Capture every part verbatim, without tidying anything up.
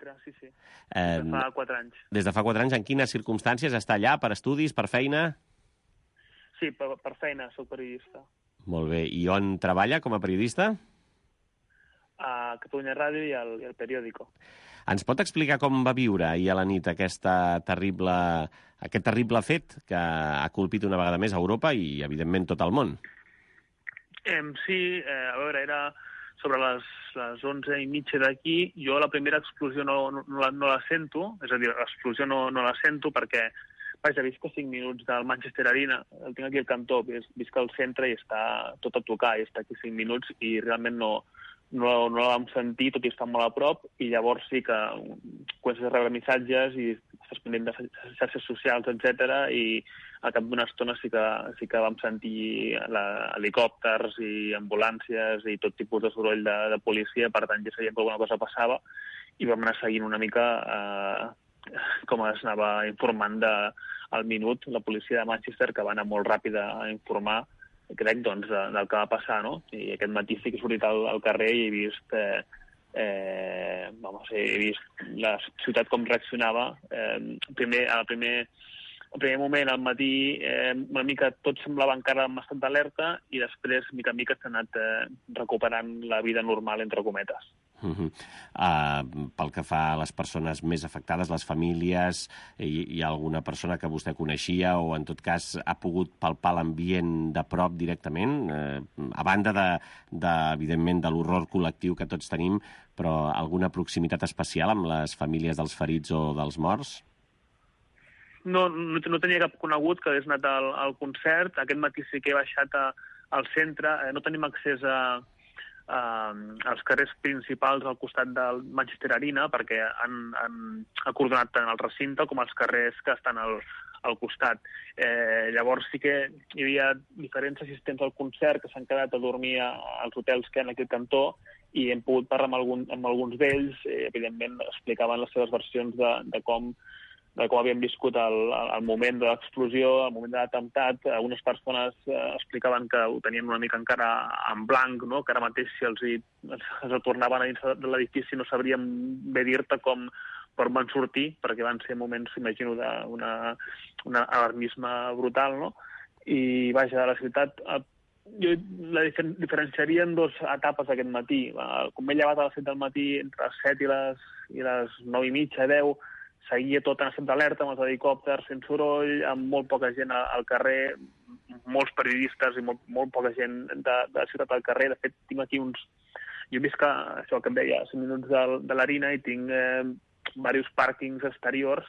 centre, sí, sí. Eh, Des de fa quatre anys. Des de fa quatre anys, en quines circumstàncies està allà? Per estudis, per feina? Sí, per, per feina, soc periodista. Molt bé. I on treballa com a periodista? A Catalunya Ràdio i al, i al Periódico. Ens pot explicar com va viure ahir a la nit aquesta terrible, aquest terrible fet que ha colpit una vegada més a Europa i, evidentment, tot el món? Eh, sí, eh, a veure, era sobre les, les onze i mitja d'aquí. Jo la primera explosió no, no, no, la, no la sento, és a dir, l'explosió no, no la sento perquè, vaja, visc a cinc minuts del Manchester Arena, el tinc aquí al cantó, visc al centre i està tot a tocar, i està aquí cinc minuts i realment no, no, no la vam sentir, tot i estar molt a prop, i llavors sí que comences a rebre missatges i estàs pendent de xarxes socials, etcètera, i al cap d'una estona sí que, sí que vam sentir la, helicòpters i ambulàncies i tot tipus de soroll de, de policia, per tant ja sabíem que alguna cosa passava i vam anar seguint una mica eh, com es anava informant de, al minut la policia de Manchester, que va anar molt ràpida a informar, crec, doncs, de, del que va passar, no? I aquest matí sí que he sortit al, al carrer i he vist... Eh, eh, vamos, he vist la ciutat com reaccionava. Eh, primer, al primer... Al primer moment, al matí, eh, una mica tot semblava encara amb estat d'alerta i després, mica en mica, s'ha anat eh, recuperant la vida normal, entre cometes. Uh -huh. uh, pel que fa a les persones més afectades, les famílies, hi, hi ha alguna persona que vostè coneixia o, en tot cas, ha pogut palpar l'ambient de prop directament, eh, a banda, de, de, evidentment, de l'horror col·lectiu que tots tenim, però alguna proximitat especial amb les famílies dels ferits o dels morts? No, no, no tenia cap conegut que hagués anat al, al concert. Aquest matí sí que he baixat a, al centre. Eh, no tenim accés a, a, als carrers principals al costat del Manchester Arena perquè han, han acordonat tant el recinte com els carrers que estan al, al costat. Eh, llavors sí que hi havia diferents assistents al concert que s'han quedat a dormir a, als hotels que hi ha en aquest cantó i hem pogut parlar amb, algun, amb alguns d'ells. Eh, evidentment explicaven les seves versions de, de com de com havien viscut el, el moment de l'explosió, el moment de l'atemptat. Algunes persones eh, explicaven que ho tenien una mica encara en blanc, no? Que ara mateix si els, hi, els retornaven a dins de l'edifici no sabríem bé dir-te com per on van sortir, perquè van ser moments, imagino, d'un alarmisme brutal, no? I, vaja, la ciutat... Jo la diferenciaria en dues etapes aquest matí. Com m'he llevat a les set del matí, entre les set i les, i les nou i mitja, deu, seguia tot en estat d'alerta, amb els helicòpters fent soroll, amb molt poca gent al carrer, molts periodistes i molt, molt poca gent de, de la ciutat al carrer. De fet, tinc aquí uns... Jo he vist que, això que em deia, cinc minuts de, de l'Arena, i tinc eh, diversos pàrquings exteriors,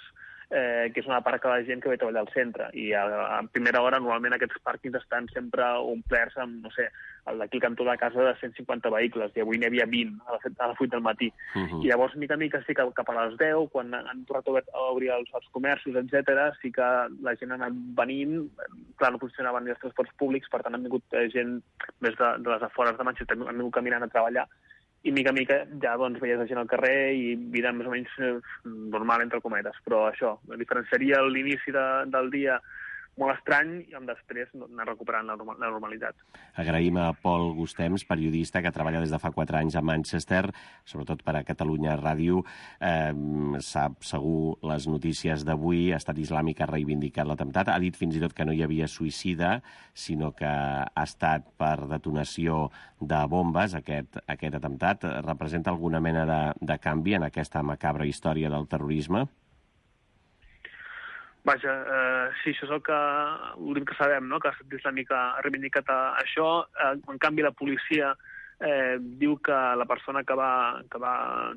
eh, que és una part que la gent que ve a treballar al centre. I a, a primera hora, normalment, aquests pàrquings estan sempre omplerts amb, no sé, el d'aquí al cantó de casa de cent cinquanta vehicles, i avui n'hi havia vint a les vuit del matí. Uh -huh. I llavors, mica en mica, sí que cap a les deu, quan han tornat a obrir els, els comerços, etcètera, sí que la gent ha anat venint. Clar, no funcionaven ni els transports públics, per tant, han vingut gent més de, de les afores de Manchester, han vingut caminant a treballar, i mica en mica ja doncs, veies la gent al carrer i vida més o menys eh, normal, entre cometes. Però això, diferenciaria l'inici de, del dia molt estrany i després anar recuperant la, normal, la normalitat. Agraïm a Pol Gustems, periodista que treballa des de fa quatre anys a Manchester, sobretot per a Catalunya Ràdio. Eh, sap segur les notícies d'avui. Estat Islàmic ha reivindicat l'atemptat. Ha dit fins i tot que no hi havia suïcida, sinó que ha estat per detonació de bombes, aquest, aquest atemptat. Representa alguna mena de, de canvi en aquesta macabra història del terrorisme? Vaja, eh, sí, això és el que, l'últim que sabem, no? Que l'Estat Islàmic ha reivindicat això. Eh, en canvi, la policia eh, diu que la persona que va, que va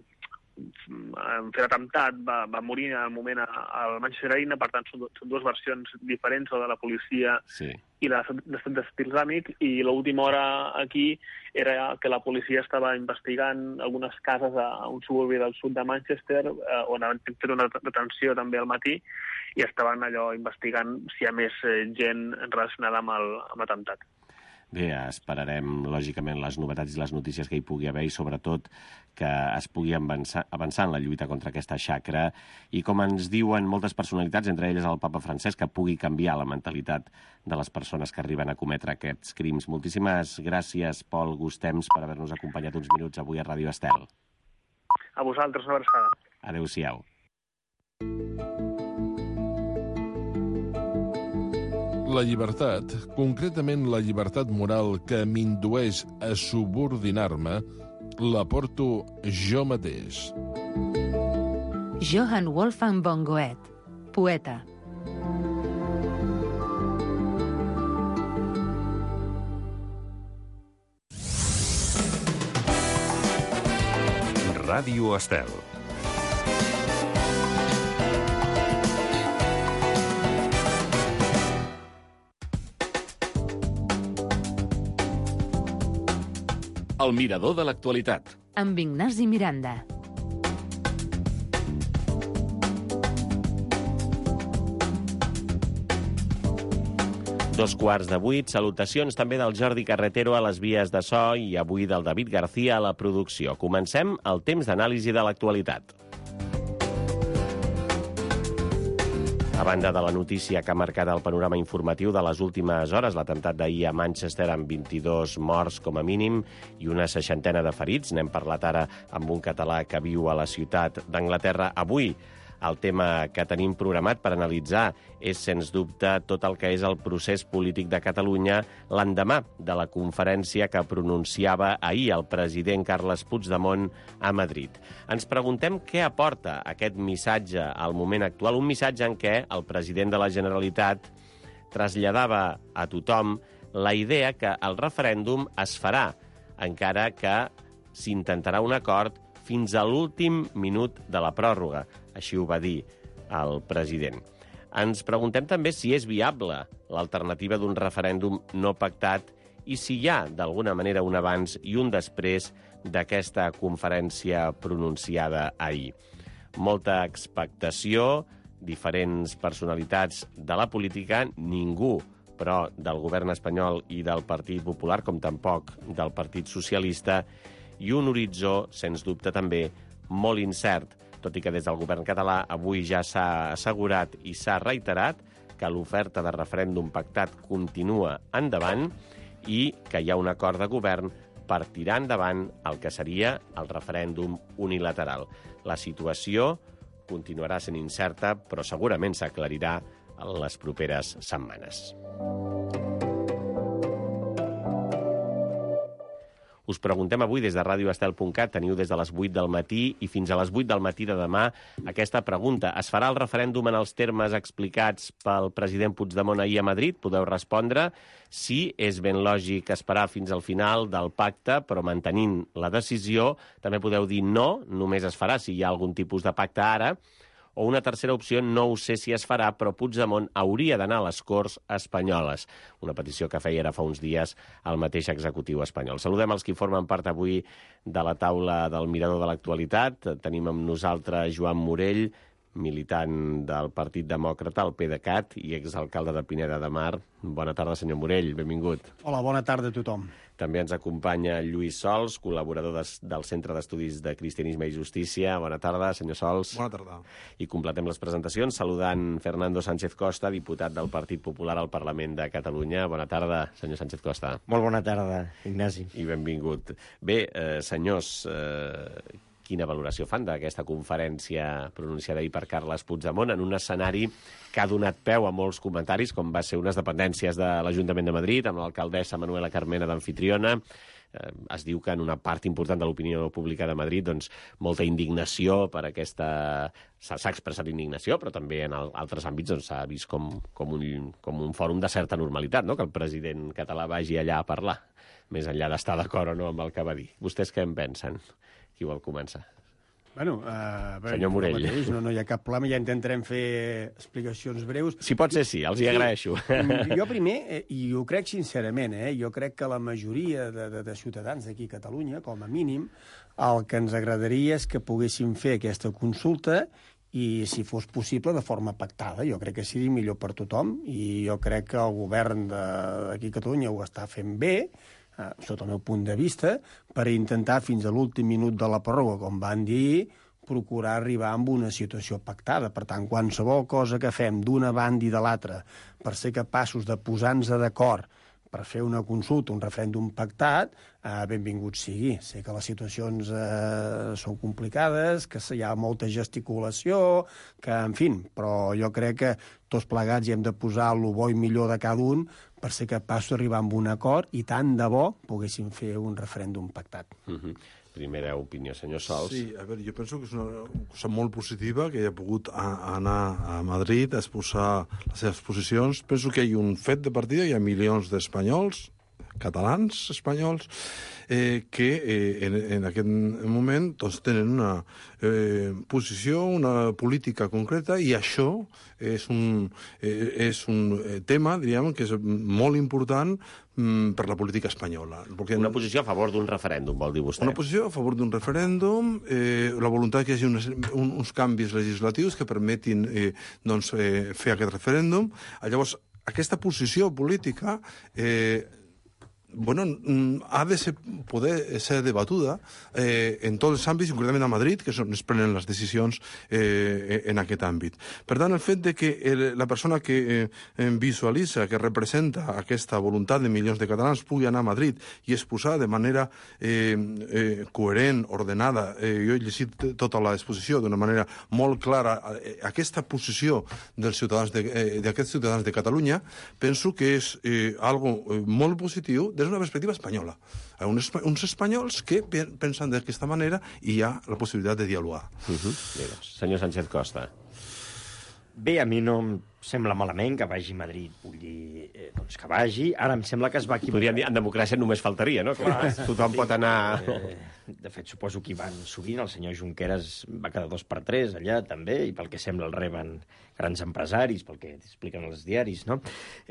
fer l'atemptat va, va morir en el moment al Manchester Arena. Per tant, són, són dues versions diferents, la de la policia sí. i la de l'Estat Islàmic, i l'última hora aquí era que la policia estava investigant algunes cases a un suburbi del sud de Manchester, eh, on han fet una detenció també al matí, i estaven allò investigant si hi ha més eh, gent relacionada amb el, amb l'atemptat. Bé, esperarem, lògicament, les novetats i les notícies que hi pugui haver i, sobretot, que es pugui avançar, avançar en la lluita contra aquesta xacra i, com ens diuen moltes personalitats, entre elles el papa Francesc, que pugui canviar la mentalitat de les persones que arriben a cometre aquests crims. Moltíssimes gràcies, Pol Gustems, per haver-nos acompanyat uns minuts avui a Ràdio Estel. A vosaltres, una abraçada. Adéu-siau. La llibertat, concretament la llibertat moral que m'indueix a subordinar-me, la porto jo mateix. Johann Wolfgang von Goethe, poeta. Ràdio Estel. El mirador de l'actualitat. Amb Ignasi Miranda. Dos quarts de vuit, salutacions també del Jordi Carretero a les vies de so i avui del David García a la producció. Comencem el temps d'anàlisi de l'actualitat. A banda de la notícia que ha marcat el panorama informatiu de les últimes hores, l'atemptat d'ahir a Manchester amb vint-i-dos morts com a mínim i una seixantena de ferits, n'hem parlat ara amb un català que viu a la ciutat d'Anglaterra. Avui el tema que tenim programat per analitzar és, sens dubte, tot el que és el procés polític de Catalunya l'endemà de la conferència que pronunciava ahir el president Carles Puigdemont a Madrid. Ens preguntem què aporta aquest missatge al moment actual, un missatge en què el president de la Generalitat traslladava a tothom la idea que el referèndum es farà, encara que s'intentarà un acord fins a l'últim minut de la pròrroga. Així ho va dir el president. Ens preguntem també si és viable l'alternativa d'un referèndum no pactat i si hi ha, d'alguna manera, un abans i un després d'aquesta conferència pronunciada ahir. Molta expectació, diferents personalitats de la política, ningú, però del govern espanyol i del Partit Popular, com tampoc del Partit Socialista, i un horitzó, sens dubte també, molt incert, tot i que des del govern català avui ja s'ha assegurat i s'ha reiterat que l'oferta de referèndum pactat continua endavant i que hi ha un acord de govern per tirar endavant el que seria el referèndum unilateral. La situació continuarà sent incerta, però segurament s'aclarirà en les properes setmanes. Us preguntem avui des de ràdio estel punt cat, teniu des de les vuit del matí i fins a les vuit del matí de demà aquesta pregunta. Es farà el referèndum en els termes explicats pel president Puigdemont ahir a Madrid? Podeu respondre sí, és ben lògic esperar fins al final del pacte, però mantenint la decisió. També podeu dir no, només es farà si hi ha algun tipus de pacte ara. O una tercera opció, no ho sé si es farà, però Puigdemont hauria d'anar a les Corts espanyoles. Una petició que feia ara fa uns dies el mateix executiu espanyol. Saludem els qui formen part avui de la taula del Mirador de l'Actualitat. Tenim amb nosaltres Joan Morell, militant del Partit Demòcrata, el PDeCAT, i exalcalde de Pineda de Mar. Bona tarda, senyor Morell, benvingut. Hola, bona tarda a tothom. També ens acompanya Lluís Sols, col·laborador des, del Centre d'Estudis de Cristianisme i Justícia. Bona tarda, senyor Sols. Bona tarda. I completem les presentacions saludant Fernando Sánchez Costa, diputat del Partit Popular al Parlament de Catalunya. Bona tarda, senyor Sánchez Costa. Molt bona tarda, Ignasi. I benvingut. Bé, eh, senyors, eh, quina valoració fan d'aquesta conferència pronunciada ahir per Carles Puigdemont en un escenari que ha donat peu a molts comentaris, com va ser unes dependències de l'Ajuntament de Madrid, amb l'alcaldessa Manuela Carmena d'anfitriona. Eh, es diu que en una part important de l'opinió pública de Madrid, doncs, molta indignació per aquesta... S'ha expressat indignació, però també en el, altres àmbits doncs, s'ha vist com, com, un, com un fòrum de certa normalitat, no?, que el president català vagi allà a parlar, més enllà d'estar d'acord o no amb el que va dir. Vostès què en pensen? Qui vol començar? Bueno, uh, senyor Morell. Mateix, no, no hi ha cap problema, ja intentarem fer explicacions breus. Si pot ser sí, els hi agraeixo. Sí, jo primer, eh, i ho crec sincerament, eh, jo crec que la majoria de, de, de ciutadans d'aquí a Catalunya, com a mínim, el que ens agradaria és que poguéssim fer aquesta consulta i, si fos possible, de forma pactada. Jo crec que sigui millor per tothom i jo crec que el govern d'aquí a Catalunya ho està fent bé, Uh, sota el meu punt de vista, per intentar fins a l'últim minut de la pròrroga, com van dir, procurar arribar a una situació pactada. Per tant, qualsevol cosa que fem d'una banda i de l'altra per ser capaços de posar-nos d'acord per fer una consulta, un referèndum pactat, eh, benvingut sigui. Sé que les situacions eh, són complicades, que hi ha molta gesticulació, que, en fi, però jo crec que tots plegats hi hem de posar el bo i millor de cada un per ser capaços d'arribar a un acord i tant de bo poguéssim fer un referèndum pactat. Uh-huh. Primera opinió, senyor Sols. Sí, a veure, jo penso que és una cosa molt positiva que hagi pogut a, a anar a Madrid a exposar les seves posicions. Penso que hi ha un fet de partida, hi ha milions d'espanyols, catalans espanyols, eh, que eh, en, en aquest moment doncs, tenen una eh, posició, una política concreta, i això és un, eh, és un tema, diríem, que és molt important mm, per la política espanyola. Perquè una posició a favor d'un referèndum, vol dir vostè? Una posició a favor d'un referèndum, eh, la voluntat que hi hagi unes, un, uns canvis legislatius que permetin eh, doncs, eh, fer aquest referèndum. Llavors, aquesta posició política eh, bueno, ha de ser, poder ser debatuda eh, en tots els àmbits, concretament a Madrid, que són, es prenen les decisions eh, en aquest àmbit. Per tant, el fet de que el, la persona que eh, visualitza, que representa aquesta voluntat de milions de catalans pugui anar a Madrid i exposar de manera eh, eh, coherent, ordenada, eh, jo he llegit tota l'exposició d'una manera molt clara, eh, aquesta posició dels ciutadans de, eh, d'aquests ciutadans de Catalunya, penso que és eh, algo eh, molt positiu des d'una perspectiva espanyola. Uns, uns espanyols que pensen d'aquesta manera i hi ha la possibilitat de dialogar. Uh-huh. Bé, doncs, senyor Sánchez Costa. Bé, a mi no em sembla malament que vagi a Madrid. Vull dir, eh, doncs que vagi. Ara em sembla que es va equivocar. Podríem dir, en democràcia només faltaria, no? Que tothom sí, pot anar... Eh, de fet, suposo que hi van sovint. El senyor Junqueras va quedar dos per tres allà, també, i pel que sembla el reben grans empresaris, pel que expliquen els diaris, no?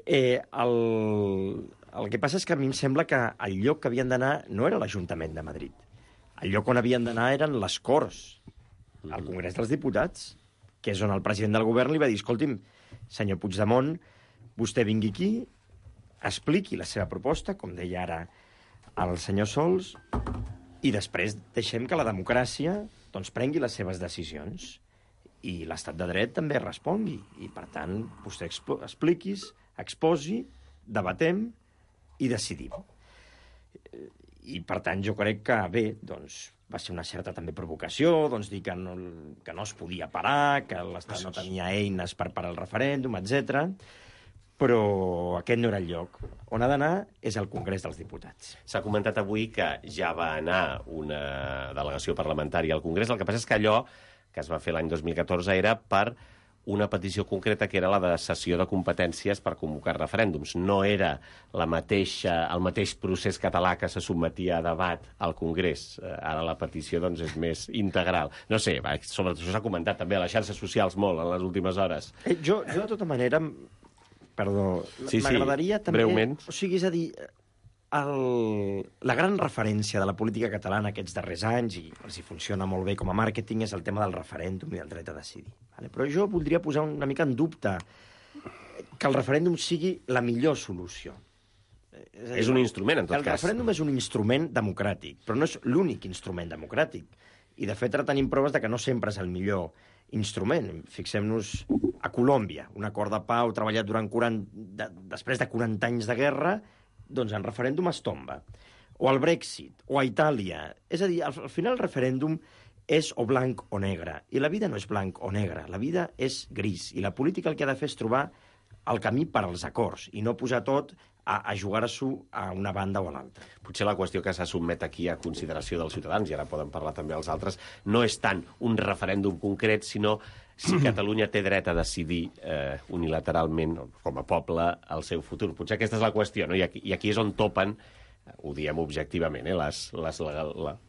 Eh, el, el que passa és que a mi em sembla que el lloc que havien d'anar no era l'Ajuntament de Madrid. El lloc on havien d'anar eren les Corts, al Congrés dels Diputats, que és on el president del govern li va dir: escolti'm, senyor Puigdemont, vostè vingui aquí, expliqui la seva proposta, com deia ara el senyor Sols, i després deixem que la democràcia doncs, prengui les seves decisions i l'estat de dret també respongui. I, per tant, vostè expliquis, exposi, debatem i decidim. I, per tant, jo crec que, bé, doncs, va ser una certa també provocació, doncs dir que no, que no es podia parar, que l'Estat no tenia eines per parar el referèndum, etcètera. Però aquest no era el lloc. On ha d'anar és al Congrés dels Diputats. S'ha comentat avui que ja va anar una delegació parlamentària al Congrés. El que passa és que allò que es va fer l'any dos mil catorze era per una petició concreta, que era la de cessió de competències per convocar referèndums. No era la mateixa, el mateix procés català que se sotmetia a debat al Congrés. Ara la petició doncs, és més integral. No sé, sobre això s'ha comentat també a les xarxes socials molt en les últimes hores. Eh, jo, jo, de tota manera, perdó, sí, m'agradaria sí, també... breument. O sigui, és a dir, el, la gran referència de la política catalana aquests darrers anys, i els hi funciona molt bé com a màrqueting, és el tema del referèndum i del dret a decidir. Vale? Però jo voldria posar una mica en dubte que el referèndum sigui la millor solució. És, dir, és un instrument, en tot el cas. El referèndum és un instrument democràtic, però no és l'únic instrument democràtic. I, de fet, ara tenim proves de que no sempre és el millor instrument. Fixem-nos a Colòmbia, un acord de pau treballat durant quaranta, de, després de quaranta anys de guerra, doncs en referèndum es tomba. O al Brexit, o a Itàlia. És a dir, al, al final el referèndum és o blanc o negre. I la vida no és blanc o negre, la vida és gris. I la política el que ha de fer és trobar el camí per als acords i no posar tot a, a jugar-s'ho a una banda o a l'altra. Potser la qüestió que se sotmet aquí a consideració dels ciutadans, i ara poden parlar també els altres, no és tant un referèndum concret, sinó si Catalunya té dret a decidir eh, unilateralment, com a poble, el seu futur. Potser aquesta és la qüestió, no? I aquí, i aquí és on topen, ho diem objectivament, eh, les, les, la,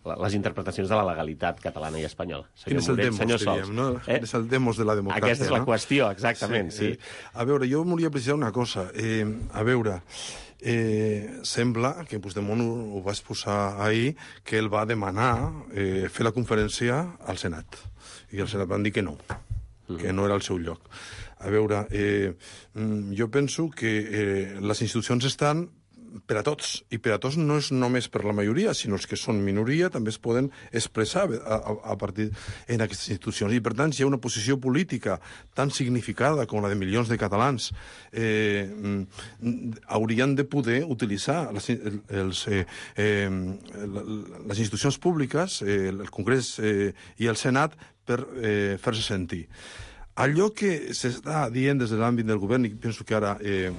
la, les interpretacions de la legalitat catalana i espanyola. Quin és el Moret, demos, diríem, no? Eh? És el demos de la democràcia, Aquesta és la no? qüestió, exactament, sí. sí. Eh, a veure, jo volia precisar una cosa. Eh, a veure, eh, sembla que Puigdemont ho, ho va exposar ahir, que ell va demanar eh, fer la conferència al Senat. I el Senat van dir que no, que no era el seu lloc. A veure, eh, jo penso que eh, les institucions estan per a tots, i per a tots no és només per la majoria, sinó els que són minoria també es poden expressar a, a, a partir en aquestes institucions. I, per tant, si hi ha una posició política tan significada com la de milions de catalans, eh, haurien de poder utilitzar les, els, eh, eh, les institucions públiques, eh, el Congrés eh, i el Senat, per eh, fer-se sentir. Allò que s'està dient des de l'àmbit del govern, i penso que ara eh,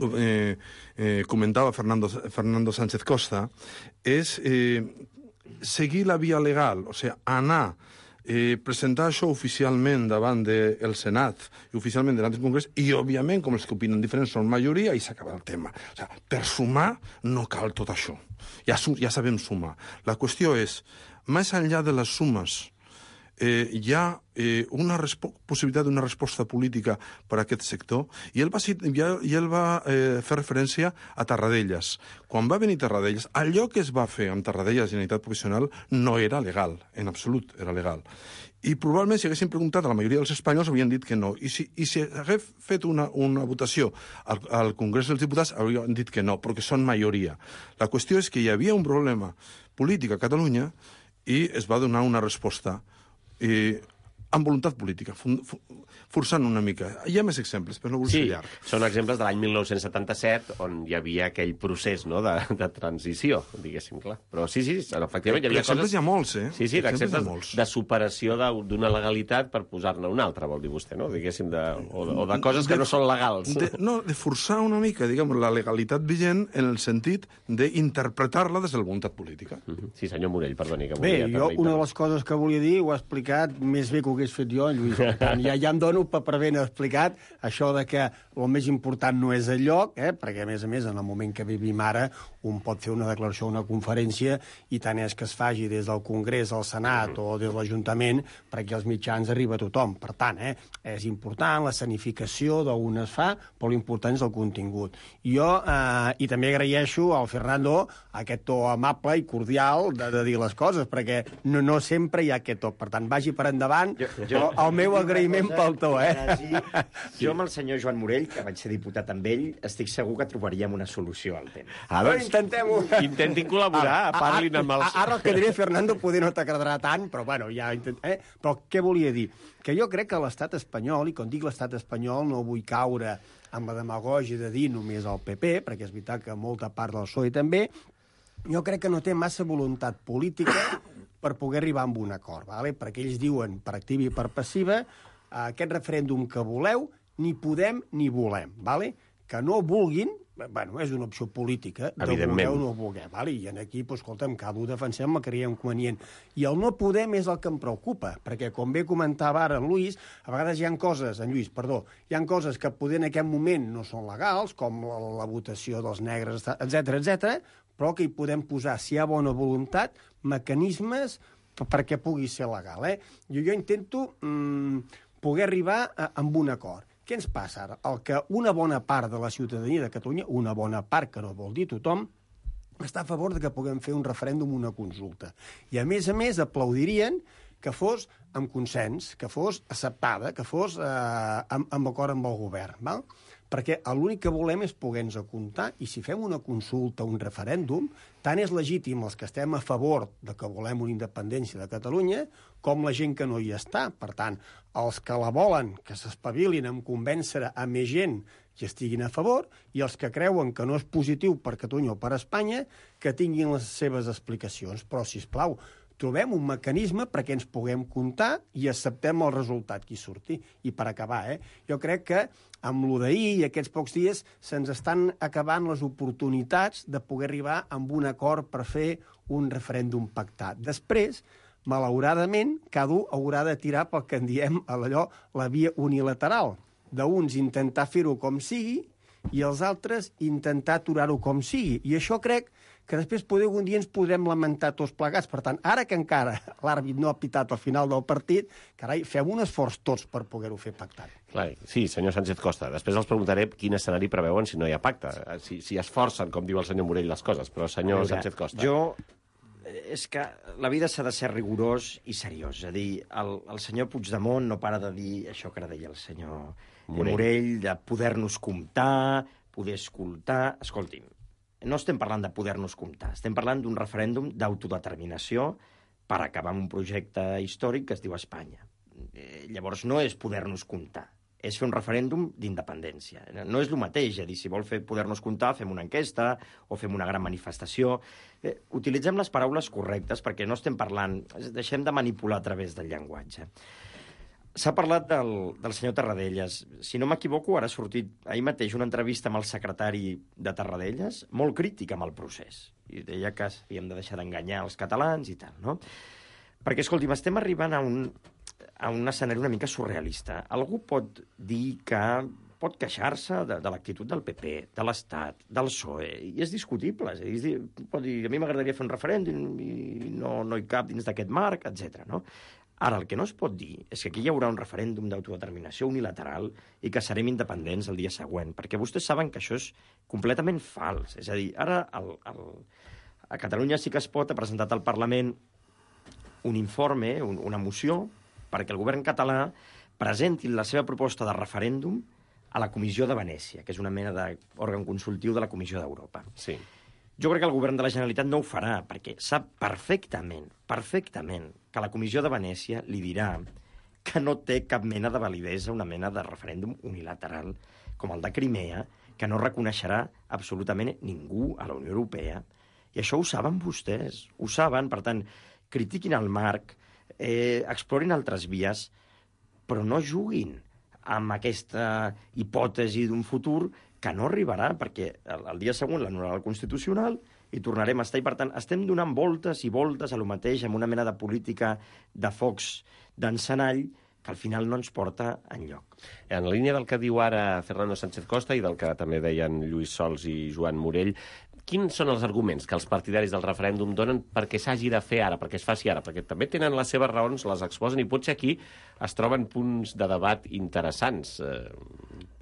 eh, eh, comentava Fernando, Fernando Sánchez Costa, és eh, seguir la via legal, o sigui, anar, eh, presentar això oficialment davant del Senat i oficialment davant del Congrés, i, òbviament, com els que opinen diferents són majoria, i s'acaba el tema. O sigui, per sumar no cal tot això. Ja, ja sabem sumar. La qüestió és, més enllà de les sumes, Eh, hi ha eh, una possibilitat d'una resposta política per a aquest sector, i ell va, i ell va eh, fer referència a Tarradellas. Quan va venir Tarradellas, allò que es va fer amb Tarradellas i Generalitat Professional no era legal, en absolut era legal. I probablement si haguessin preguntat a la majoria dels espanyols haurien dit que no. I si, i si hagués fet una, una votació al, al Congrés dels Diputats haurien dit que no, perquè són majoria. La qüestió és que hi havia un problema polític a Catalunya i es va donar una resposta Eh, amb voluntat política, forçant una mica. Hi ha més exemples, però no vull ser sí, llarg. Són exemples de l'any mil nou-cents setanta-set, on hi havia aquell procés, no?, de, de transició, diguéssim, clar. Però sí, sí, efectivament, hi havia exemples coses... hi ha molts, eh? Sí, sí, exemples molts. de superació d'una legalitat per posar-ne una altra, vol dir vostè, no?, diguéssim, de, o, de, o de coses que de, no són legals. De, no, de forçar una mica, diguem, la legalitat vigent en el sentit d'interpretar-la des de la voluntat política. Sí, senyor Morell, perdoni, que Bé, volia... jo una de les coses que volia dir ho ha explicat més bé que ho hagués fet jo, Lluís. Ja, ja em dono per ben explicat això de que el més important no és el lloc, eh? Perquè, a més a més, en el moment que vivim ara, un pot fer una declaració o una conferència i tant és que es faci des del Congrés al Senat o des de l'Ajuntament perquè els mitjans arriba a tothom. Per tant, eh, és important la escenificació d'on es fa, però l'important és el contingut. I jo, eh, i també agraeixo al Fernando aquest to amable i cordial de, de dir les coses, perquè no, no sempre hi ha aquest to. Per tant, vagi per endavant. Jo, jo, el meu agraïment pel to, eh? Sí. Jo amb el senyor Joan Morell, que vaig ser diputat amb ell, estic segur que trobaríem una solució al tema. Ah, doncs, intentem-ho. Intentin col·laborar, ah, parlin amb els... Ara el que diré, Fernando, poder no t'agradarà tant, però bueno, ja... Eh? Però què volia dir? Que jo crec que l'estat espanyol, i quan dic l'estat espanyol no vull caure amb la demagògia de dir només el P P, perquè és veritat que molta part del P S O E també, jo crec que no té massa voluntat política per poder arribar a un acord, ¿vale? Perquè ells diuen per activa i per passiva aquest referèndum que voleu, ni podem ni volem, ¿vale? Que no vulguin, bueno, és una opció política, de voler o no voler, ¿vale? I aquí, pues, escolta'm, cada un defensem el que creiem convenient. I el no podem és el que em preocupa, perquè, com bé comentava ara en Lluís, a vegades hi ha coses, en Lluís, perdó, hi ha coses que poder en aquest moment no són legals, com la, la votació dels negres, etcètera, etcètera, però que hi podem posar, si hi ha bona voluntat, mecanismes perquè pugui ser legal, eh? Jo, jo intento mm, poder arribar a, a un acord. Què ens passa ara? El que una bona part de la ciutadania de Catalunya, una bona part, que no vol dir tothom, està a favor de que puguem fer un referèndum, una consulta. I, a més a més, aplaudirien que fos amb consens, que fos acceptada, que fos eh, amb, amb acord amb el govern, val? Perquè l'únic que volem és poder-nos comptar, i si fem una consulta, un referèndum, tant és legítim els que estem a favor de que volem una independència de Catalunya, com la gent que no hi està. Per tant, els que la volen, que s'espavilin en convèncer a més gent que estiguin a favor, i els que creuen que no és positiu per Catalunya o per Espanya, que tinguin les seves explicacions. Però, sisplau, trobem un mecanisme perquè ens puguem comptar i acceptem el resultat que hi surti. I per acabar, eh, jo crec que amb lo d'ahir i aquests pocs dies se'ns estan acabant les oportunitats de poder arribar amb un acord per fer un referèndum pactat. Després, malauradament, cada un haurà de tirar pel que en diem allò, la via unilateral. D'uns intentar fer-ho com sigui i els altres intentar aturar-ho com sigui. I això crec que després poder un dia ens podrem lamentar tots plegats. Per tant, ara que encara l'àrbit no ha pitat al final del partit, carai, fem un esforç tots per poder-ho fer pactat. Clar, sí, senyor Sánchez Costa. Després els preguntaré quin escenari preveuen si no hi ha pacte, si, si es forcen, com diu el senyor Morell, les coses. Però, senyor Veure, Sánchez Costa... Jo... És que la vida s'ha de ser rigorós i seriós. És a dir, el, el senyor Puigdemont no para de dir això que ara deia el senyor Morell, Morell de poder-nos comptar, poder escoltar... Escolti'm, no estem parlant de poder-nos comptar, estem parlant d'un referèndum d'autodeterminació per acabar amb un projecte històric que es diu Espanya. Eh, llavors no és poder-nos comptar, és fer un referèndum d'independència. No és el mateix, és a dir, si vol fer poder-nos comptar, fem una enquesta o fem una gran manifestació. Eh, utilitzem les paraules correctes perquè no estem parlant, deixem de manipular a través del llenguatge. S'ha parlat del, del senyor Tarradellas. Si no m'equivoco, ara ha sortit ahir mateix una entrevista amb el secretari de Tarradellas, molt crític amb el procés. I deia que havíem de deixar d'enganyar els catalans i tal, no? Perquè, escolti'm, estem arribant a un, a un escenari una mica surrealista. Algú pot dir que pot queixar-se de, de l'actitud del P P, de l'Estat, del P S O E, i és discutible. És a dir, pot dir, a mi m'agradaria fer un referèndum i no, no hi cap dins d'aquest marc, etcètera. No? Ara, el que no es pot dir és que aquí hi haurà un referèndum d'autodeterminació unilateral i que serem independents el dia següent, perquè vostès saben que això és completament fals. És a dir, ara el, el, a Catalunya Sí que es pot ha presentat al Parlament un informe, un, una moció, perquè el govern català presenti la seva proposta de referèndum a la Comissió de Venècia, que és una mena d'òrgan consultiu de la Comissió d'Europa. Sí. Jo crec que el govern de la Generalitat no ho farà, perquè sap perfectament, perfectament, que la Comissió de Venècia li dirà que no té cap mena de validesa una mena de referèndum unilateral com el de Crimea, que no reconeixerà absolutament ningú a la Unió Europea. I això ho saben vostès, ho saben, per tant, critiquin el marc, eh, explorin altres vies, però no juguin amb aquesta hipòtesi d'un futur que no arribarà, perquè el, el dia següent l'anul·larà el Constitucional i tornarem a estar. I, per tant, estem donant voltes i voltes a lo mateix, amb una mena de política de focs d'encenall que al final no ens porta enlloc. En la línia del que diu ara Fernando Sánchez Costa i del que també deien Lluís Sols i Joan Morell, quins són els arguments que els partidaris del referèndum donen perquè s'hagi de fer ara, perquè es faci ara? Perquè també tenen les seves raons, les exposen, i potser aquí es troben punts de debat interessants.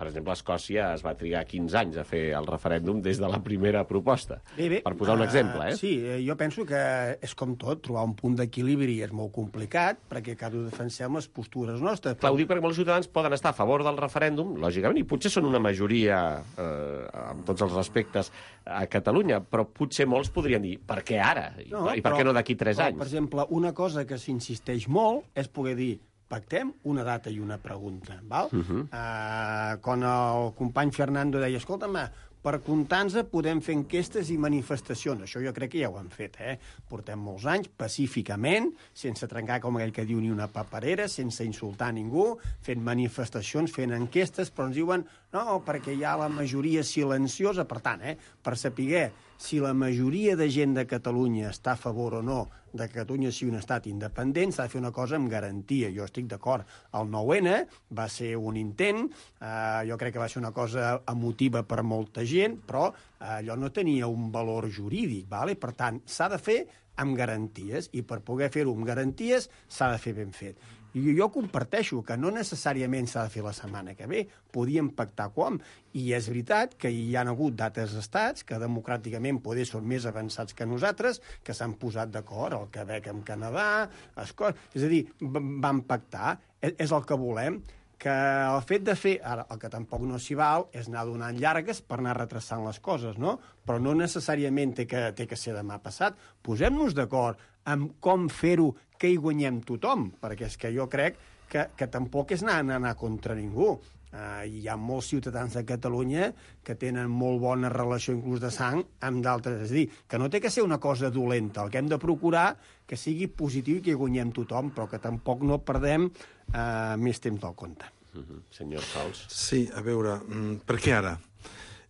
Per exemple, a Escòcia es va trigar quinze anys a fer el referèndum des de la primera proposta. Bé, bé, per posar un exemple, eh? Uh, sí, jo penso que és com tot, trobar un punt d'equilibri és molt complicat, perquè cada defensem les postures nostres. Clar, ho dic perquè molts ciutadans poden estar a favor del referèndum, lògicament, i potser són una majoria, eh, amb tots els respectes, a Catalunya, però potser molts podrien dir, per què ara? I, no, i per però, què no d'aquí tres anys? Per exemple, una cosa que s'insisteix molt és poder dir pactem una data i una pregunta, val? Uh -huh. uh, quan el company Fernando deia, escolta'm, per comptar-nos podem fer enquestes i manifestacions. Això jo crec que ja ho han fet, eh? Portem molts anys, pacíficament, sense trencar, com aquell que diu, ni una paperera, sense insultar ningú, fent manifestacions, fent enquestes, però ens diuen, no, perquè hi ha la majoria silenciosa. Per tant, eh, per saber si la majoria de gent de Catalunya està a favor o no de que Catalunya sigui un estat independent, s'ha de fer una cosa amb garantia. Jo estic d'acord. El nou ene va ser un intent, eh, jo crec que va ser una cosa emotiva per molta gent, però eh, allò no tenia un valor jurídic, vale? Per tant, s'ha de fer amb garanties, i per poder fer-ho amb garanties s'ha de fer ben fet. I jo comparteixo que no necessàriament s'ha de fer la setmana que ve, podíem pactar com, i és veritat que hi ha hagut d'altres estats que democràticament poder són més avançats que nosaltres, que s'han posat d'acord, el Quebec amb Canadà, Escòcia, és a dir, van pactar, és el que volem, que el fet de fer, ara, el que tampoc no s'hi val, és anar donant llargues per anar retrasant les coses, no? Però no necessàriament té que, té que ser demà passat. Posem-nos d'acord amb com fer-ho que hi guanyem tothom, perquè és que jo crec que, que tampoc és anar, anar contra ningú. Uh, hi ha molts ciutadans de Catalunya que tenen molt bona relació, inclús de sang, amb d'altres. És a dir, que no té que ser una cosa dolenta. El que hem de procurar que sigui positiu i que hi guanyem tothom, però que tampoc no perdem uh, més temps del compte. Uh-huh. Senyor Sols. Sí, a veure, per què ara?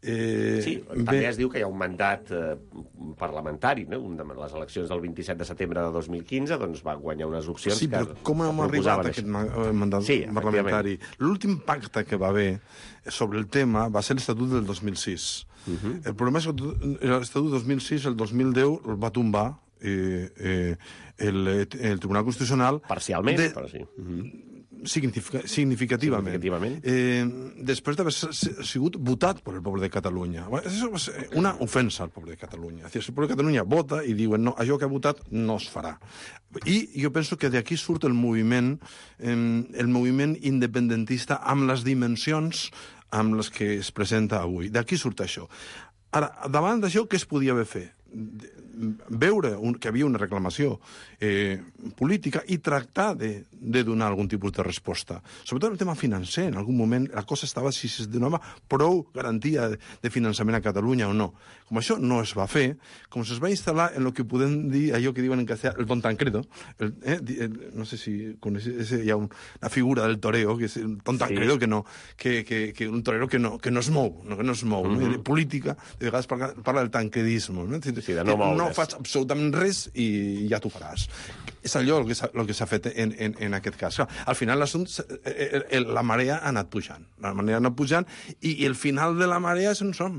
Eh, sí, també bé... es diu que hi ha un mandat eh, parlamentari, no? Un de les eleccions del vint-i-set de setembre de dos mil quinze, doncs va guanyar unes opcions sí, que... Sí, però com hem arribat a aquest mandat sí, parlamentari? L'últim pacte que va haver sobre el tema va ser l'Estatut del dos mil sis. Uh-huh. El problema és que l'Estatut del dos mil sis, el dos mil deu, el va tombar eh, eh, el, el Tribunal Constitucional... Parcialment, de... però sí. Uh-huh. Significa, significativament. significativament. Eh, després d'haver sigut votat per el poble de Catalunya. Això va ser una ofensa al poble de Catalunya. És a dir, el poble de Catalunya vota i diuen no, allò que ha votat no es farà. I jo penso que d'aquí surt el moviment, eh, el moviment independentista amb les dimensions amb les que es presenta avui. D'aquí surt això. Ara, davant d'això, què es podia haver fet? Veure un, que havia una reclamació eh, política i tractar de, de donar algun tipus de resposta. Sobretot el tema financer. En algun moment la cosa estava si es donava prou garantia de, de finançament a Catalunya o no. Com això no es va fer, com es va instal·lar en el que podem dir, allò que diuen en castellà, el Don Tancredo, el, eh, el, no sé si coneixes, hi ha un, una figura del toreo, que és el Don Tancredo, sí. que, no, que, que, que un torero que no, que no es mou, no, que no es mou. Mm-hmm. No? De política, de vegades parla, parla del tancredisme. No? Sí, de no moure's. No faig absolutament res i ja t'ho faràs. És allò el que s'ha, el que s'ha fet en, en, en aquest cas. Al final l'assumpte, la marea ha anat pujant. La marea ha anat pujant i, i el final de la marea és on som.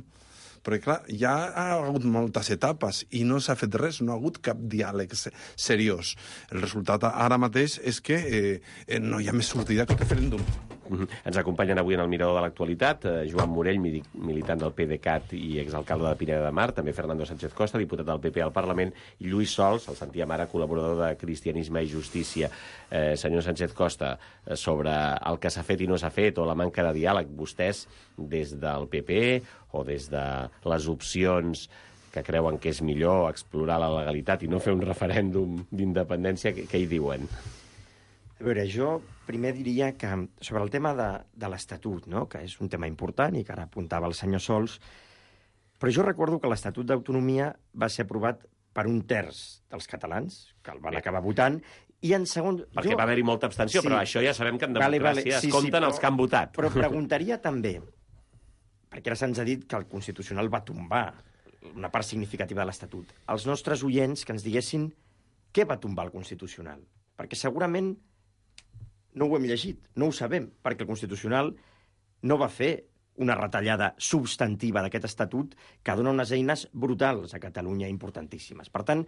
Perquè, clar, ja ha hagut moltes etapes i no s'ha fet res, no ha hagut cap diàleg seriós. El resultat ara mateix és que eh, no hi ha més sortida que el referèndum. Mm-hmm. Ens acompanyen avui en el Mirador de l'Actualitat eh, Joan Morell, militant del PDeCAT i exalcalde de Pineda de Mar, també Fernando Sánchez Costa, diputat del P P al Parlament, i Lluís Sols, el sentíem ara, col·laborador de Cristianisme i Justícia. Eh, senyor Sánchez Costa, eh, sobre el que s'ha fet i no s'ha fet, o la manca de diàleg, vostès, des del P P o des de les opcions que creuen que és millor explorar la legalitat i no fer un referèndum d'independència, què, què hi diuen? A veure, jo primer diria que sobre el tema de, de l'Estatut, no? Que és un tema important i que ara apuntava el senyor Sols, però jo recordo que l'Estatut d'Autonomia va ser aprovat per un terç dels catalans, que el van Bé. acabar votant, i en segon... Perquè jo... va haver-hi molta abstenció, sí. Però això ja sabem que en democràcia vale, vale. Sí, es compten sí, però, els que han votat. Però preguntaria també, perquè ara se'ns ha dit que el Constitucional va tombar una part significativa de l'Estatut, als nostres oients que ens diguessin què va tombar el Constitucional. Perquè segurament no ho hem llegit, no ho sabem, perquè el Constitucional no va fer una retallada substantiva d'aquest estatut que dona unes eines brutals a Catalunya importantíssimes. Per tant,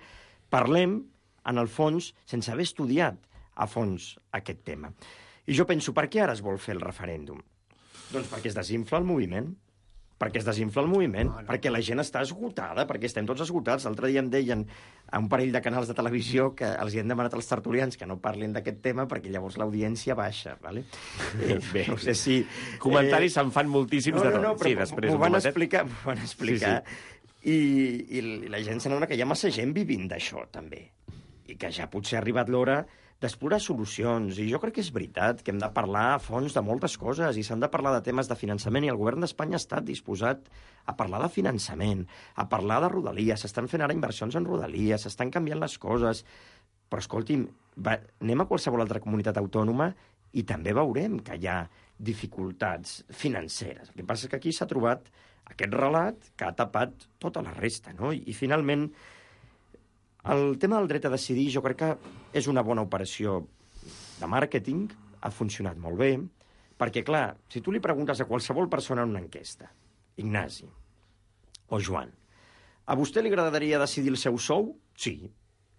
parlem, en el fons, sense haver estudiat a fons aquest tema. I jo penso, per què ara es vol fer el referèndum? Doncs perquè es desinfla el moviment, perquè es desinfla el moviment, no, no. perquè la gent està esgotada, perquè estem tots esgotats. L'altre dia em deien a un parell de canals de televisió que els hi han demanat als tertulians que no parlin d'aquest tema perquè llavors l'audiència baixa. Vale? Eh, Bé, no sé si... Comentaris eh... se'n fan moltíssims no, no, de tot. no, però sí, després m'ho van momentet. explicar, m'ho van explicar. Sí, sí. I, I la gent s'adona que hi ha massa gent vivint d'això, també. I que ja potser ha arribat l'hora d'explorar solucions, i jo crec que és veritat que hem de parlar a fons de moltes coses i s'han de parlar de temes de finançament, i el govern d'Espanya ha estat disposat a parlar de finançament, a parlar de rodalies, s'estan fent ara inversions en rodalies, s'estan canviant les coses, però escolti'm, va, anem a qualsevol altra comunitat autònoma i també veurem que hi ha dificultats financeres. El que passa és que aquí s'ha trobat aquest relat que ha tapat tota la resta, no? I, i finalment, el tema del dret a decidir jo crec que és una bona operació de màrqueting, ha funcionat molt bé, perquè, clar, si tu li preguntes a qualsevol persona en una enquesta, Ignasi o Joan, a vostè li agradaria decidir el seu sou? Sí.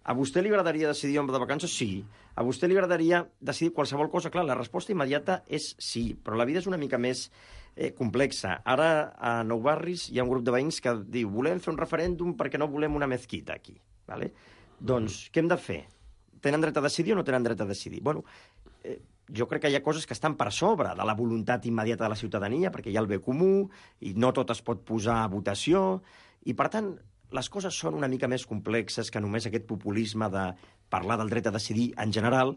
A vostè li agradaria decidir on va de vacances? Sí. A vostè li agradaria decidir qualsevol cosa? Clar, la resposta immediata és sí, però la vida és una mica més eh, complexa. Ara, a Nou Barris hi ha un grup de veïns que diu volem fer un referèndum perquè no volem una mezquita aquí. Vale? Doncs, què hem de fer? Tenen dret a decidir o no tenen dret a decidir? Bueno, eh, jo crec que hi ha coses que estan per sobre de la voluntat immediata de la ciutadania, perquè hi ha el bé comú, i no tot es pot posar a votació, i per tant, les coses són una mica més complexes que només aquest populisme de parlar del dret a decidir en general,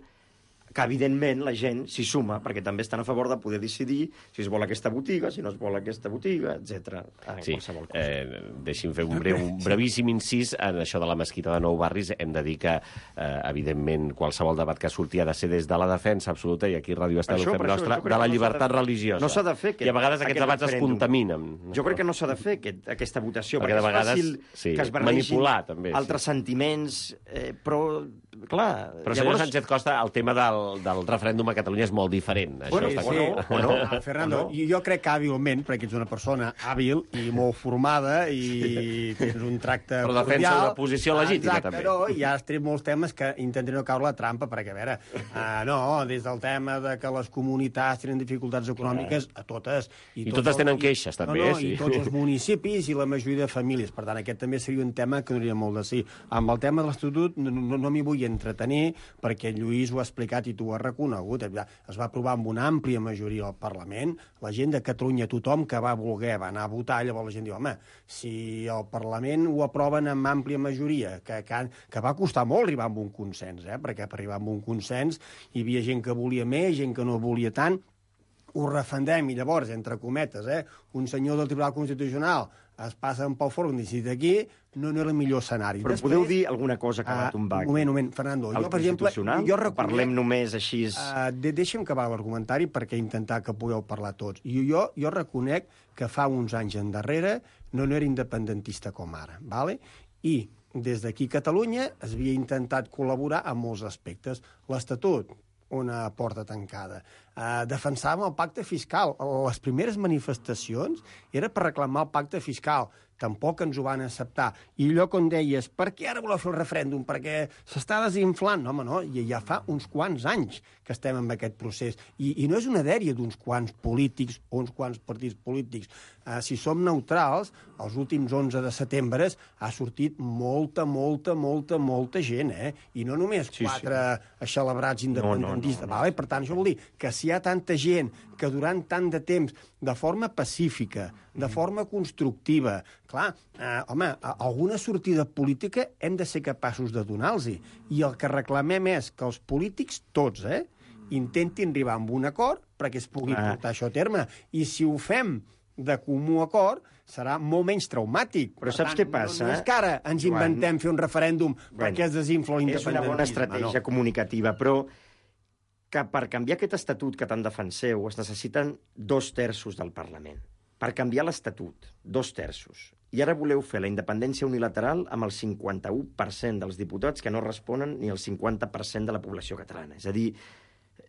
que evidentment la gent s'hi suma, perquè també estan a favor de poder decidir si es vol aquesta botiga, si no es vol aquesta botiga, etcètera. Sí, eh, deixi'm fer un, breu, un brevíssim incís en això de la mesquita de Nou Barris. Hem de dir que, eh, evidentment, qualsevol debat que surti ha de ser des de la defensa absoluta, i aquí Ràdio Estel ho fem nostre, de la llibertat religiosa. No s'ha de fer aquest, I a vegades aquests debats es contaminen. Jo crec que no s'ha de fer aquest, aquesta votació, perquè, perquè és fàcil sí, que es barregin també, altres sí. sentiments, eh, però, clar... Però, llavors... senyor Sánchez Costa, el tema del, del referèndum a Catalunya és molt diferent. Això bueno, està sí, bueno, bueno, no, Fernando, no? Jo crec que hàbilment, perquè ets una persona hàbil i molt formada i tens un tracte però defensa cordial, una posició legítima, exacte, també. Però ja has tret molts temes que intentaré no caure la trampa, perquè, a veure, uh, no, des del tema de que les comunitats tenen dificultats econòmiques, a totes. I, I totes tenen queixes, i, també. No, no, sí. I tots els municipis i la majoria de famílies. Per tant, aquest també seria un tema que donaria molt de sí. Amb el tema de l'Estatut no, no, no m'hi vull entretenir, perquè Lluís ho ha explicat i tu ho has reconegut. Es va aprovar amb una àmplia majoria al Parlament. La gent de Catalunya, tothom que va voler, va anar a votar, llavors la gent diu, home, si el Parlament ho aproven amb àmplia majoria, que, que, que va costar molt arribar a un consens, eh? Perquè per arribar a un consens hi havia gent que volia més, gent que no volia tant, ho refendem i llavors, entre cometes, eh, un senyor del Tribunal Constitucional es passa pel fòrum decidit aquí, no, no era el millor escenari. Però Després, podeu dir alguna cosa que va tombar? Un moment, un moment, Fernando. Jo, per exemple, jo reconec... Parlem només així... Uh, de, deixa'm acabar l'argumentari perquè intentar que pugueu parlar tots. I jo, jo reconec que fa uns anys endarrere no, no era independentista com ara, ¿vale? I des d'aquí a Catalunya es havia intentat col·laborar en molts aspectes. L'Estatut, una porta tancada. Uh, defensàvem el pacte fiscal. Les primeres manifestacions era per reclamar el pacte fiscal. Tampoc ens ho van acceptar. I allò com deies, per què ara voleu fer el referèndum? Perquè s'està desinflant. No, home, no, i ja fa uns quants anys que estem en aquest procés. I, i no és una dèria d'uns quants polítics o uns quants partits polítics. Uh, si som neutrals, els últims onze de setembre ha sortit molta, molta, molta, molta gent, eh? I no només sí, quatre sí. celebrats independentistes. No, no, no, no. Vale? Per tant, això vol dir que si hi ha tanta gent que durant tant de temps, de forma pacífica, de forma constructiva, clar, eh, home, alguna sortida política hem de ser capaços de donar-los. I el que reclamem és que els polítics, tots, eh, intentin arribar a un acord perquè es pugui ah. portar això a terme. I si ho fem de comú acord, serà molt menys traumàtic. Però saps què passa? No, no és que ara ens inventem fer un referèndum bueno, perquè es desinfla l'independentisme. És una bona estratègia no. comunicativa, però que per canviar aquest estatut que tant defenseu es necessiten dos terços del Parlament. Per canviar l'Estatut, dos terços. I ara voleu fer la independència unilateral amb el cinquanta-u per cent dels diputats que no responen ni el cinquanta per cent de la població catalana. És a dir,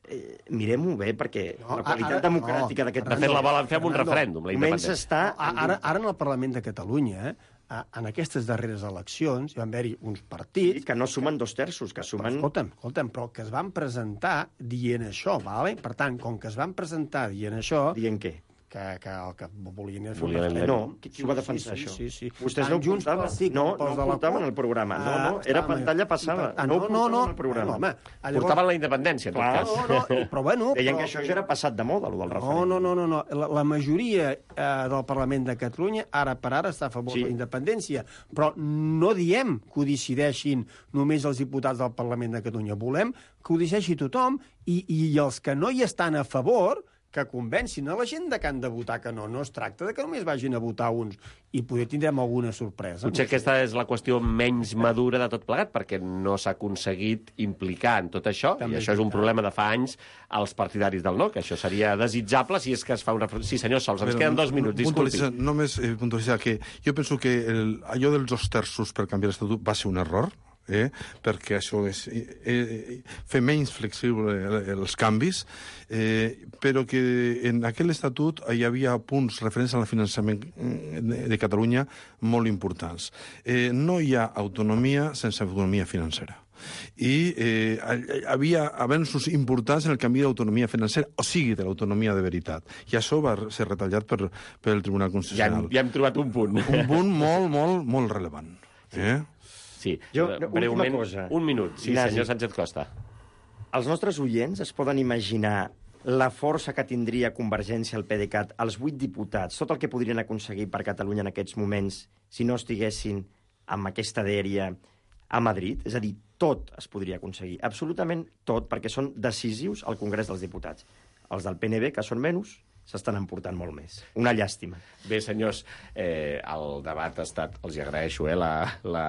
eh, mirem-ho bé, perquè no, la qualitat ara, democràtica no, d'aquest... De fet, la volen fer amb un referèndum, la independència. Està... No, ara, ara en el Parlament de Catalunya, eh, en aquestes darreres eleccions hi van haver-hi uns partits... Sí, que no sumen dos terços, que sumen... Escolta'm, escolta'm, però que es van presentar dient això, ¿vale? Per tant, com que es van presentar dient això... Dient què? Que, que el que volien era fer un referèndum. No, qui, qui ho va defensar, sí, això? Sí, sí, sí. Vostès no ho portaven, sí, no, no ho portaven al programa. No, no, era pantalla passada. Ah, no, no, no, no, al programa. No, home, llavors... Portaven la independència, en tot cas. No, no, però bueno... Deien però... que això ja era passat de moda, el del referèndum. No, no, no, no. La, la majoria eh, del Parlament de Catalunya, ara per ara, està a favor sí. de la independència. Però no diem que ho decideixin només els diputats del Parlament de Catalunya. Volem que ho decideixi tothom i, i els que no hi estan a favor... que convencin a la gent de que han de votar que no. No es tracta de que només vagin a votar uns i poder tindrem alguna sorpresa. Potser no sé. Aquesta és la qüestió menys madura de tot plegat, perquè no s'ha aconseguit implicar en tot això, també i això és un problema de fa anys als partidaris del no, que això seria desitjable si és que es fa una... Sí, senyor Sols, ens queden dos minuts, disculpi. Només eh, puntualitzar que jo penso que el, allò dels dos terços per canviar l'Estatut va ser un error, Eh, perquè això és eh, fer menys flexible els canvis, eh, però que en aquell estatut hi havia punts referents al finançament de, de Catalunya molt importants. Eh, no hi ha autonomia sense autonomia financera. I eh, havia avenços importants en el canvi d'autonomia financera, o sigui, de l'autonomia de veritat. I això va ser retallat per, per el Tribunal Constitucional. Ja hem, ja hem trobat un punt. Un punt molt, molt, molt rellevant. Eh? Sí, jo, breument, cosa. un minut. Sí, Ignasi, senyor Sánchez Costa. Els nostres oients es poden imaginar la força que tindria Convergència al PDeCAT, els vuit diputats, tot el que podrien aconseguir per Catalunya en aquests moments si no estiguessin amb aquesta dèria a Madrid? És a dir, tot es podria aconseguir, absolutament tot, perquè són decisius al Congrés dels Diputats. Els del P N B, que són menys, s'estan emportant molt més. Una llàstima. Bé, senyors, eh, el debat ha estat... Els hi agraeixo, eh, la, la,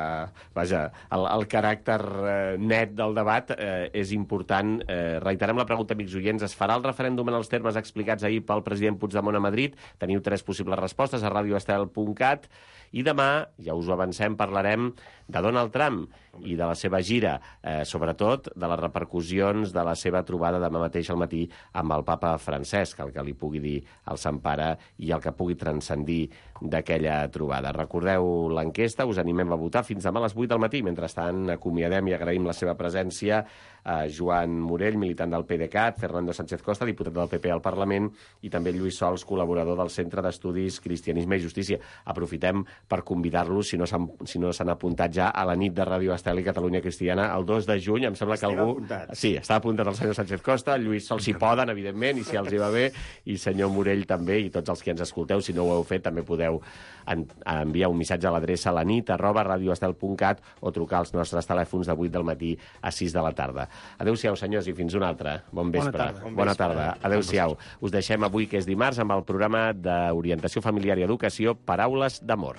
vaja, el, el caràcter eh, net del debat eh, és important. Eh, reiterem la pregunta, amics oients. Es farà el referèndum en els termes explicats ahir pel president Puigdemont a Madrid? Teniu tres possibles respostes a radio estel punt cat. I demà, ja us ho avancem, parlarem de Donald Trump i de la seva gira, eh, sobretot de les repercussions de la seva trobada demà mateix al matí amb el papa Francesc, el que li pugui dir al Sant Pare i el que pugui transcendir d'aquella trobada. Recordeu l'enquesta, us animem a votar fins demà a les vuit del matí. Mentrestant, acomiadem i agraïm la seva presència eh, Joan Morell, militant del PDeCAT, Fernando Sánchez Costa, diputat del P P al Parlament, i també Lluís Sols, col·laborador del Centre d'Estudis Cristianisme i Justícia. Aprofitem per convidar-los, si no s'han si no s'han apuntat ja, a la nit de Ràdio Estel i Catalunya Cristiana el dos de juny. Em sembla que Estem algú... apuntats. Sí, està apuntat el senyor Sánchez Costa, Lluís Sols si poden, evidentment, i si els hi va bé, i senyor Morell també, i tots els que ens escolteu, si no ho heu fet, també podeu en, enviar un missatge a l'adreça la nit arroba radioestel punt cat o trucar als nostres telèfons de vuit del matí a sis de la tarda. Adéu-siau, senyors, i fins una altra. Bon vespre. Bona tarda. Bon Bona tarda. Adéu-siau. Us deixem avui, que és dimarts, amb el programa d'orientació familiar i educació Paraules d'amor.